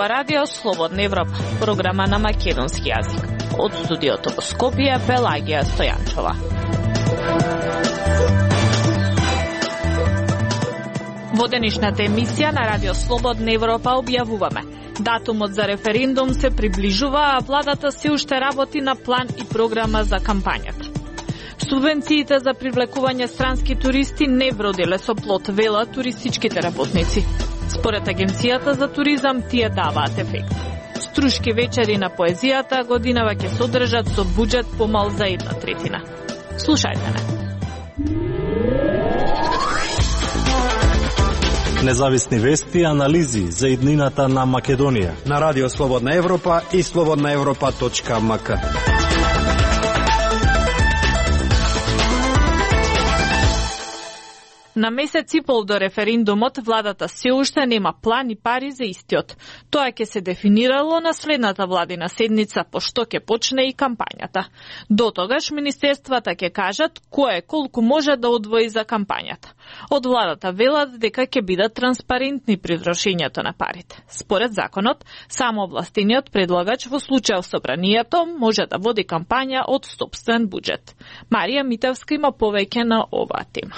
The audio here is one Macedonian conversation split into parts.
ова радио Слободна Европа, програма на македонски јазик. Од студиото во Скопје, Пелагија Стојанчова. Во денешната емисија на радио Слободна Европа објавуваме: датумот за референдум се приближува, а владата се уште работи на план и програма за кампањата. Субвенциите за привлекување странски туристи не вродиле со плод, велат туристичките работници. Според Агенцијата за туризам, тие даваат ефект. Струшки вечери на поезијата годинава ќе се одржат со буџет помал за 1/3. Слушајте не. Независни вести и анализи за иднината на Македонија на радио Слободна Европа и slobodnaevropa.mk. На месец и пол до референдумот, владата се уште нема план и пари за истиот. Тоа ќе се дефинирало на следната владина седница, пошто ќе почне и кампањата. До тогаш министерствата ќе кажат кое колку може да одвои за кампањата. Од владата велат дека ќе бидат транспарентни при трошењето на парите. Според законот, само овластениот предлагач во случај собранието може да води кампања од сопствен буџет. Марија Митевска има повеќе на оваа тема.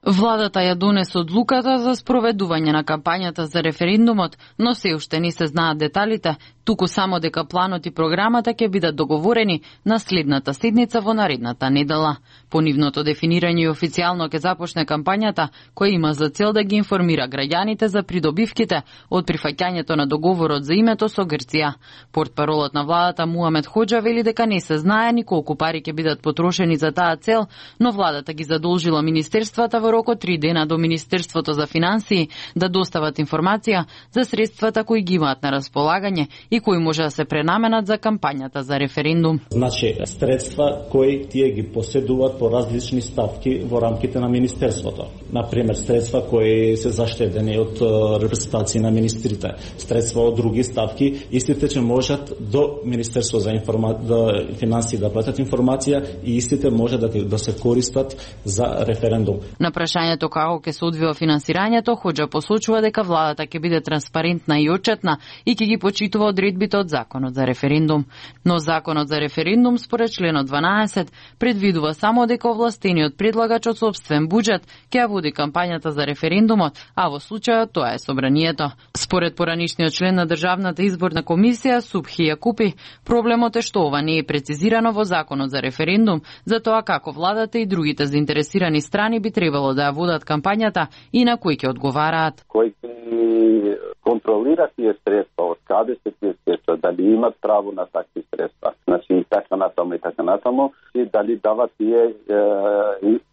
Владата ја донесе одлуката за спроведување на кампањата за референдумот, но се уште не се знаат деталите, туку само дека планот и програмата ќе бидат договорени на следната седница во наредната недела. По нивното дефинирање и официјално ќе започне кампањата, која има за цел да ги информира граѓаните за придобивките од прифаќањето на договорот за името со Грција. Портпаролот на владата Муамед Хоџа вели дека не се знае ни колку пари ќе бидат потрошени за таа цел, но владата ги задолжила министерствата во рок од 3 дена до Министерството за финансии да достават информација за средствата кои ги имаат на располагање и кои може да се пренаменат за кампањата за референдум. Значи, средства кои тие ги поседуваат по различни ставки во рамките на Министерството. Например, средства кои се заштедени од репрезентации на министрите, средства од други ставки, истите че можат до Министерство за финансии да платат информација и истите може да се користат за референдум. На прашањето како ќе се одвива финансирањето, Хоџа посочува дека владата ќе биде транспарентна и отчетна и ќе ги почитува одредбите од законот за референдум. Но законот за референдум според членот 12 предвидува само дека овластениот предлагач од сопствен буџет ќе ја води кампањата за референдумот, а во случајот тоа е собранието. Според поранишниот член на Државната изборна комисија Субхи Јакупи, проблемот е што ова не е прецизирано во законот за референдум, за тоа како владата и другите заинтересирани страни би требало да ја водат кампањата и на кои ќе одговараат. Кој контролира тие средства, од каде се тие средства, дали имат право на такви средства, значи и така натаму, и дали дават тие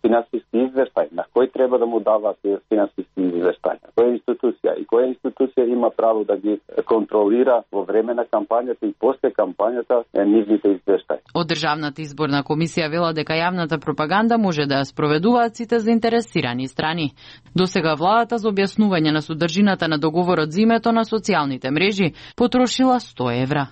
финансиски извештај, на кој треба да му дават тие финансиски извештај, која институција и која институција има право да ги контролира во време на кампањата и после кампањата нивните извештаи. Од Државната изборна комисија вела дека јавната пропаганда може да ја спроведуваат сите заинтересирани страни. Досега владата за објаснување на содржината на договорот за името на социјалните мрежи потрошила 100 евра.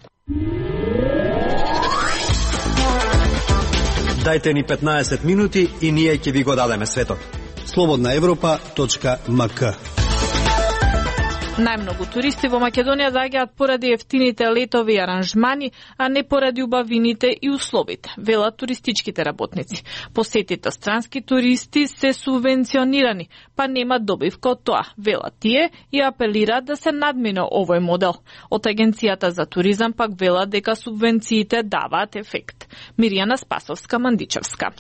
Дајте ни 15 минути и ние ќе ви го дадеме светот. slobodnaevropa.mk. Најмногу туристи во Македонија доаѓаат поради ефтините летови аранжмани, а не поради убавините и условите, велат туристичките работници. Посетите странски туристи се субвенционирани, па нема добивка од тоа, велат тие и апелираат да се надмине овој модел. Од Агенцијата за туризам пак велат дека субвенциите даваат ефект. Миријана Спасовска-Мандичевска.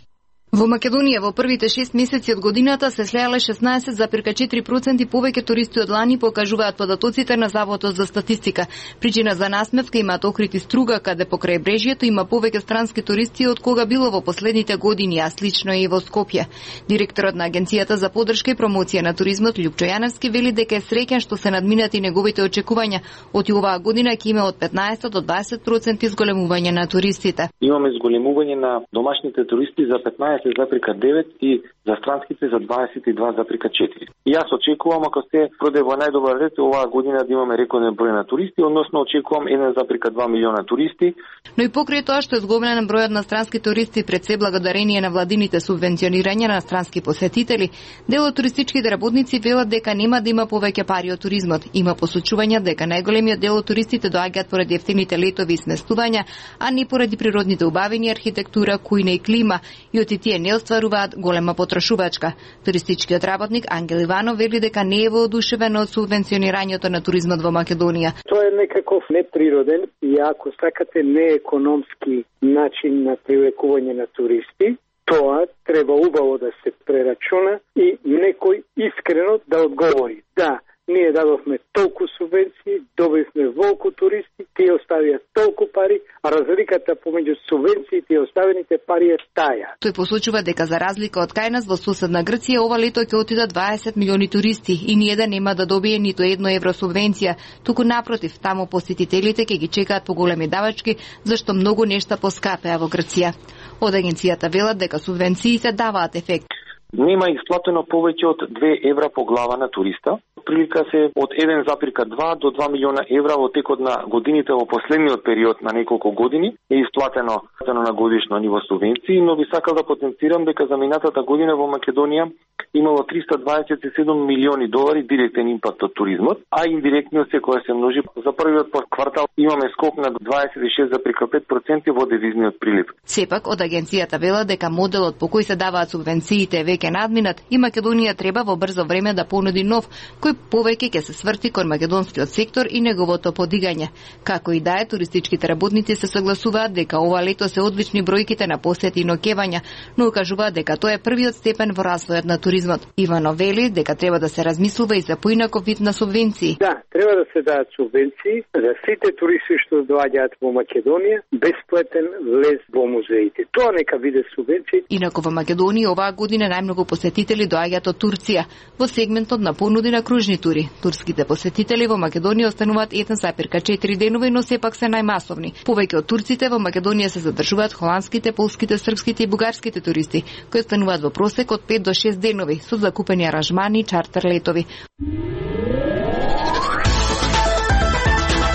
Во Македонија во првите 6 месеци од годината се слеале 16,4% повеќе туристи од лани, покажуваат податоците на Заводот за статистика. Причина за насмевка имаат Охрид и Струга, каде покрај брежјето има повеќе странски туристи од кога било во последните години, а слично и во Скопје. Директорот на Агенцијата за поддршка и промоција на туризмот Љупчо Јаневски вели дека е среќен што се надминати неговите очекувања. Од оваа година ќе има од 15 до 20% изголемување на туристите. Имаме изголемување на домашните туристи за 15%, 20,9 и за странските за 22,4. И јас очекувам, ако се проде во најдобар ред, оваа година да имаме рекорден број на туристи, односно очекувам 1,2 милиона туристи. Но и покрај тоа што е зголемен бројот на странски туристи пред се благодарение на владините субвенционирања на странски посетители, дел од туристичките работници велат дека нема да има повеќе пари од туризмот. Има посочувања дека најголемиот дел од туристите доаѓаат поради ефтините летови и сместувања, а не поради природните убавини, архитектура, кујна и клима, и оти тие не остваруваат голема потрошувачка. Туристичкиот работник Ангел Иванов вели дека не е воодушевен од субвенционирањето на туризмот во Македонија. Тоа е некаков неприроден и ако сакате неекономски начин на привлекување на туристи. Тоа треба убаво да се прерачуна и некој искрено да одговори. Да, ние дадовме толку субвенции, добивме волку туристи, тие оставија толку пари, а разликата помеѓу субвенциите и оставените пари е таја. Тој посочува дека за разлика од кај нас во соседна Грција ова лето ќе отидат 20 милиони туристи и ниеден нема да добие ниту едно евро субвенција, туку напротив, таму посетителите ќе ги чекаат поголеми давачки, зашто многу нешта поскапеа во Грција. Од агенцијата велат дека субвенциите даваат ефект. Нема исплатено повеќе од 2 евра по глава на туриста. Прилика се од 1,2 до 2 милиона евра во текот на годините во последниот период на неколку години е исплатено на годишно ниво субвенции, но би сакал да потенцирам дека за минатата година во Македонија имало 327 милиони долари директен импакт од туризмот, а индиректниот секоја се множи. За првиот квартал имаме скок на 26,5% во девизниот прилив. Сепак од агенцијата вела дека моделот по кој се даваат субвенциите е веќе надминат и Македонија треба во брзо време да понуди нов, кој повеќе ќе се сврти кон македонскиот сектор и неговото подигање. Како и да е, туристичките работници се согласуваат дека ова лето се одлични бројките на посети и ноќевања, но укажуваат дека тоа е првиот степен во развојот на туризмот. Ивано вели дека треба да се размислува и за поинаков вид на субвенции. Да, треба да се дадат субвенции за сите туристи што доаѓаат во Македонија, бесплатен влез во музеите. Тоа нека биде субвенции. Инаку во Македонија оваа година најмногу посетители доаѓаат од Турција во сегментот на понуди на кружни тури. Турските посетители во Македонија остануваат 1,4 денови, но сепак се најмасовни. Повеќе од турците во Македонија се задржуваат холандските, полските, српските и бугарските туристи, кои остануваат во просек од 5 до 6 денови со закупени аранжмани и чартер летови.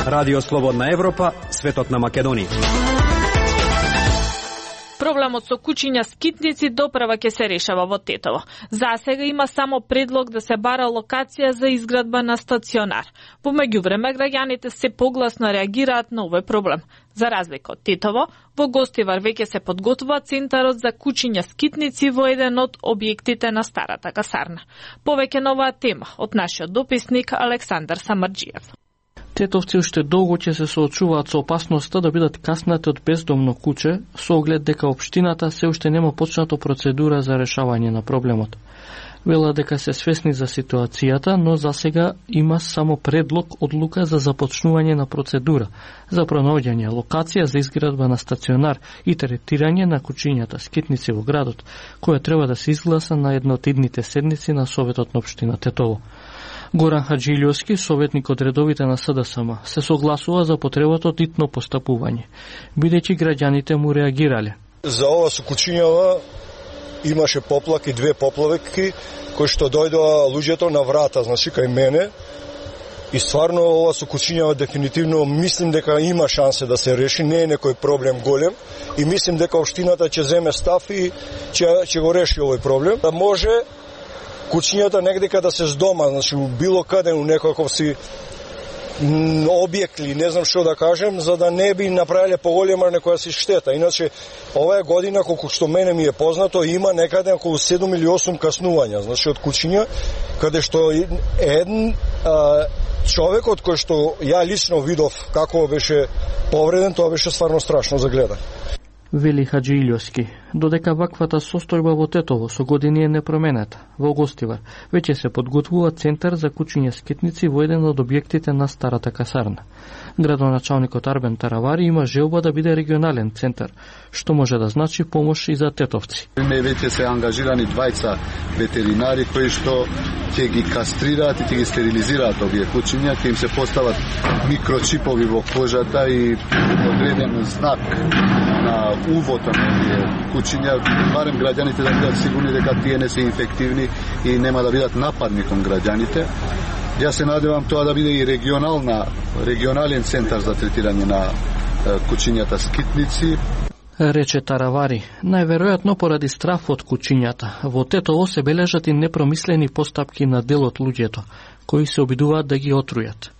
Радио Слободна Европа, светот на Македонија. Проблемот со кучиња скитници доправа ќе се решава во Тетово. Засега има само предлог да се бара локација за изградба на стационар. Во меѓувреме граѓаните се погласно реагираат на овој проблем. За разлика од Тетово, во Гостивар веќе се подготвува центарот за кучиња скитници во еден од објектите на старата касарна. Повеќе на оваа тема од нашиот дописник Александар Самарџиев. Тетовци уште долго ќе се соочуваат со опасноста да бидат каснати од бездомно куче, со оглед дека општината се уште нема почнато процедура за решавање на проблемот. Вела дека се свесни за ситуацијата, но засега има само предлог одлука за започнување на процедура за пронаоѓање локација за изградба на стационар и третирање на кучињата скитници во градот, која треба да се изгласа на една од идните седници на Советот на општина Тетово. Горан Хаджилјовски, советник од редовите на СДСМ, се согласува за потребата од итно постапување, бидејќи граѓаните му реагирале. За ова со кучињава имаше поплаки, 2 поплавки, кои што дојдоа луѓето на врата, значи кај мене, и стварно ова со кучињава дефинитивно мислим дека има шансе да се реши, не е некој проблем голем, и мислим дека општината ќе земе став и ќе го реши овој проблем. Да може кучињата негдека да се здома, значи било каде у некаков си објект ли, не знам што да кажем, за да не би направиле поголема некоја си штета. Иначе, оваа година, колку што мене ми е познато, има некаде околу 7 или 8 каснувања, значи од кучиња, каде што еден човекот кој што ја лично видов како беше повреден, тоа беше стварно страшно за гледање. Вели Хаджилјовски, додека ваквата состојба во Тетово со години е непроменета. Во Гостивар веќе се подготвува центар за кучиња скитници во еден од објектите на старата касарна. Градоначалникот Арбен Таравари има желба да биде регионален центар, што може да значи помош и за тетовци. Веќе се ангажирани 2 ветеринари кои што ќе ги кастрираат и ќе ги стерилизираат овие кучиња, ќе им се постават микрочипови во кожата и одреден знак на увота на овие кучиња, барем граѓаните да бидат сигурни дека тие не се инфективни и нема да бидат нападни кон граѓаните. Јас се надевам тоа да биде и регионален центар за третирање на кучињата скитници. Рече Таравари, најверојатно поради страф од кучињата. Во Тетово се бележат и непромислени постапки на дел од луѓето, кои се обидуваат да ги отрујат.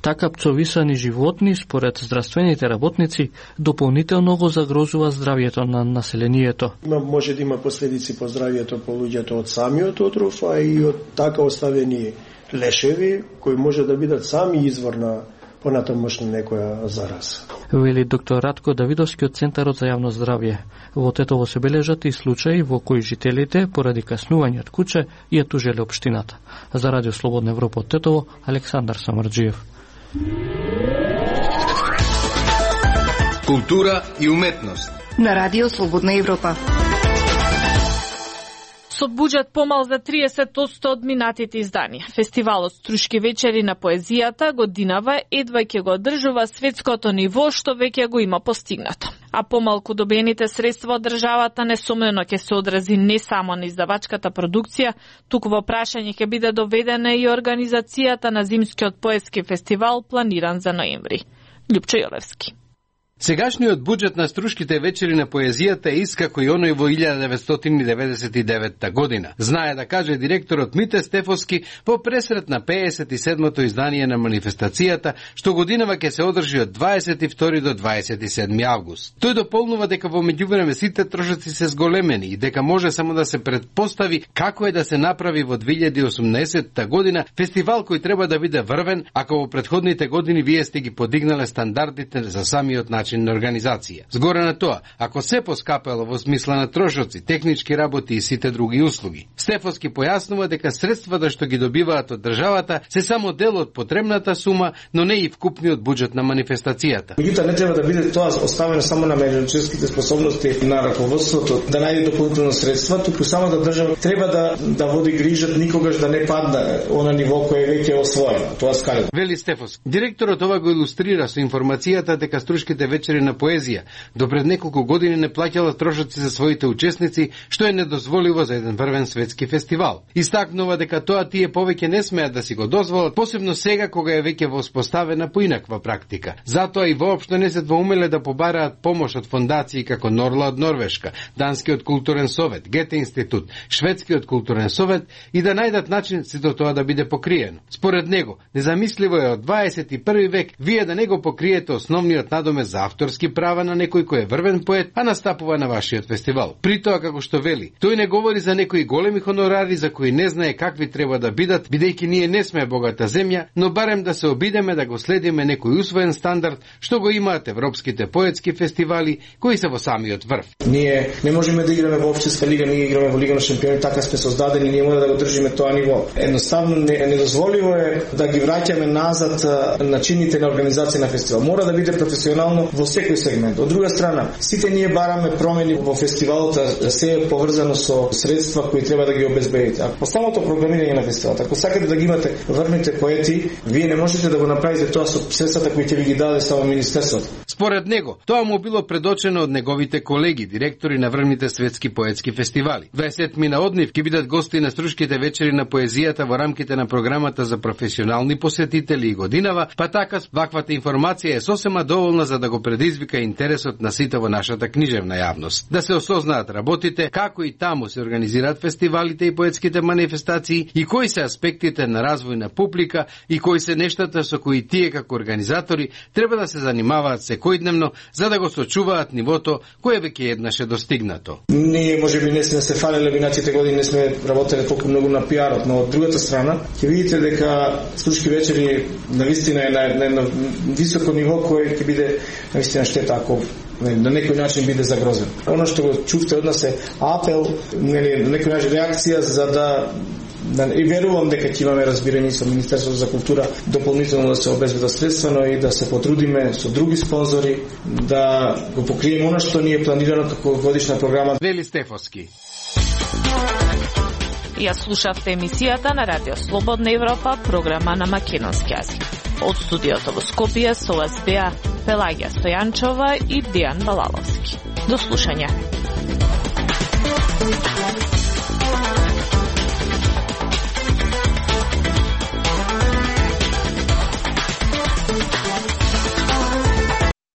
Така пцовисани животни, според здравствените работници, дополнително го загрозува здравјето на населението. Може да има последици по здравјето по луѓето од самиот отров, а и од така оставени лешеви, кои може да бидат сами извор на понатамошна некоја зараза. Вели доктор Радко Давидовски од Центарот за јавно здравје. Во Тетово се бележат и случаи во кои жителите, поради каснување од куче, ја тужеле општината. За Радио Слободна Европа од Тетово, Александар Самарџиев. Култура и уметност на Радио Слободна Европа. Со буџет помал за 30% од минатите изданија, фестивалот Струшки вечери на поезијата годинава едва ќе го одржува светското ниво што веќе го има постигнато. А помалку добените средства од државата несомнено ќе се одрази не само на издавачката продукција, туку во прашање ќе биде доведена и организацијата на зимскиот поетски фестивал планиран за ноември. Љупчо Јолевски. Сегашниот буџет на Струшките вечери на поезијата е искако и оној во 1999 година. Знае да каже директорот Мите Стефовски во пресрет на 57-то издание на манифестацијата, што годинава ќе се одржи од 22 до 27 август. Тој дополнува дека во меѓувреме сите трошоци се зголемени и дека може само да се предпостави како е да се направи во 2018 година фестивал кој треба да биде врвен, ако во претходните години вие сте ги подигнале стандардите за самиот начин на организација. Згоре на тоа, ако се поскапело во смисла на трошоци, технички работи и сите други услуги. Стефовски појаснува дека средствата што ги добиваат од државата се само дел од потребната сума, но не и вкупниот буџет на манифестацијата. Меѓутоа не треба да биде тоа оставено само на менеджерските способности на раководството да најде дополнително средства, туку само да држава треба да води грижат никогаш да не падне она ниво кое веќе е освоено. Тоа скале. Вели Стефовски. Директорот ова го илустрира со информацијата дека Струшките вечери на поезија до пред неколку години не плаќала трошоци за своите учесници, што е недозволиво за еден врвен светски фестивал. Истакнува дека тоа тие повеќе не смеат да си го дозволат, посебно сега кога е веќе воспоставена поинаква практика. Затоа и воопшто не се двоумеле да побараат помош од фондации како Норла од Норвешка, Данскиот културен совет, Гете институт, Шведскиот културен совет и да најдат начин сето тоа да биде покриено. Според него, незамисливо е од 21 век вие да не го покриете основниот надомес за авторски права на некој кој е врвен поет, а настапува на вашиот фестивал. При тоа, како што вели, тој не говори за некои големи хонорари за кои не знае какви треба да бидат, бидејќи ние не сме богата земја, но барем да се обидеме да го следиме некој усвоен стандард што го имаат европските поетски фестивали кои се во самиот врв. Ние не можеме да играме во општинска лига, ние играме во Лига на шампиони, така сме создадени, ние мора да го држиме тоа ниво. Едноставно недозволиво е да ги враќаме назад начините на организација на фестивал. Мора да биде професионално во секој сегмент. Од друга страна, сите ние бараме промени во фестивалот, се е поврзано со средства кои треба да ги обезбедите. Ако самото програмирање на фестивалот, ако сакате да ги имате врвните поети, вие не можете да го направите тоа со средствата кои ќе ви ги даде само министерството. Според него, тоа му било предочено од неговите колеги, директори на врвните светски поетски фестивали. 27 од нив ќе бидат гости на Струшките вечери на поезијата во рамките на програмата за професионални посетители и годинава, па така ваквата информација е сосема доволна за да го предизвика интересот на сите во нашата книжевна јавност. Да се осознаат работите, како и таму се организираат фестивалите и поетските манифестации и кои се аспектите на развој на публика и кои се нештата со кои тие како организатори треба да се занимаваат секојдневно за да го сочуваат нивото кое веќе еднаш е достигнато. Ние можеби не сме се фалеле минатите години, не сме работеле толку многу на пиарот, но од другата страна ќе видите дека Струшки вечери навистина е на високо ниво кое ќе биде навистина штета ако на некој начин биде загрозен. Оно што го чувте од нас е апел, на некој начин реакција за да и верувам дека ќе имаме разбирање со Министерството за култура дополнително да се обезбедат средства, но и да се потрудиме со други спонзори да го покриеме она што ни е планирано како годишна програма. Вели Стефовски. Ја слушавте емисијата на Радио Слободна Европа, програма на македонски јазик. Од студиото во Скопје со вас беа Пелагија Стојанчова и Дијан Балаловски. До слушање.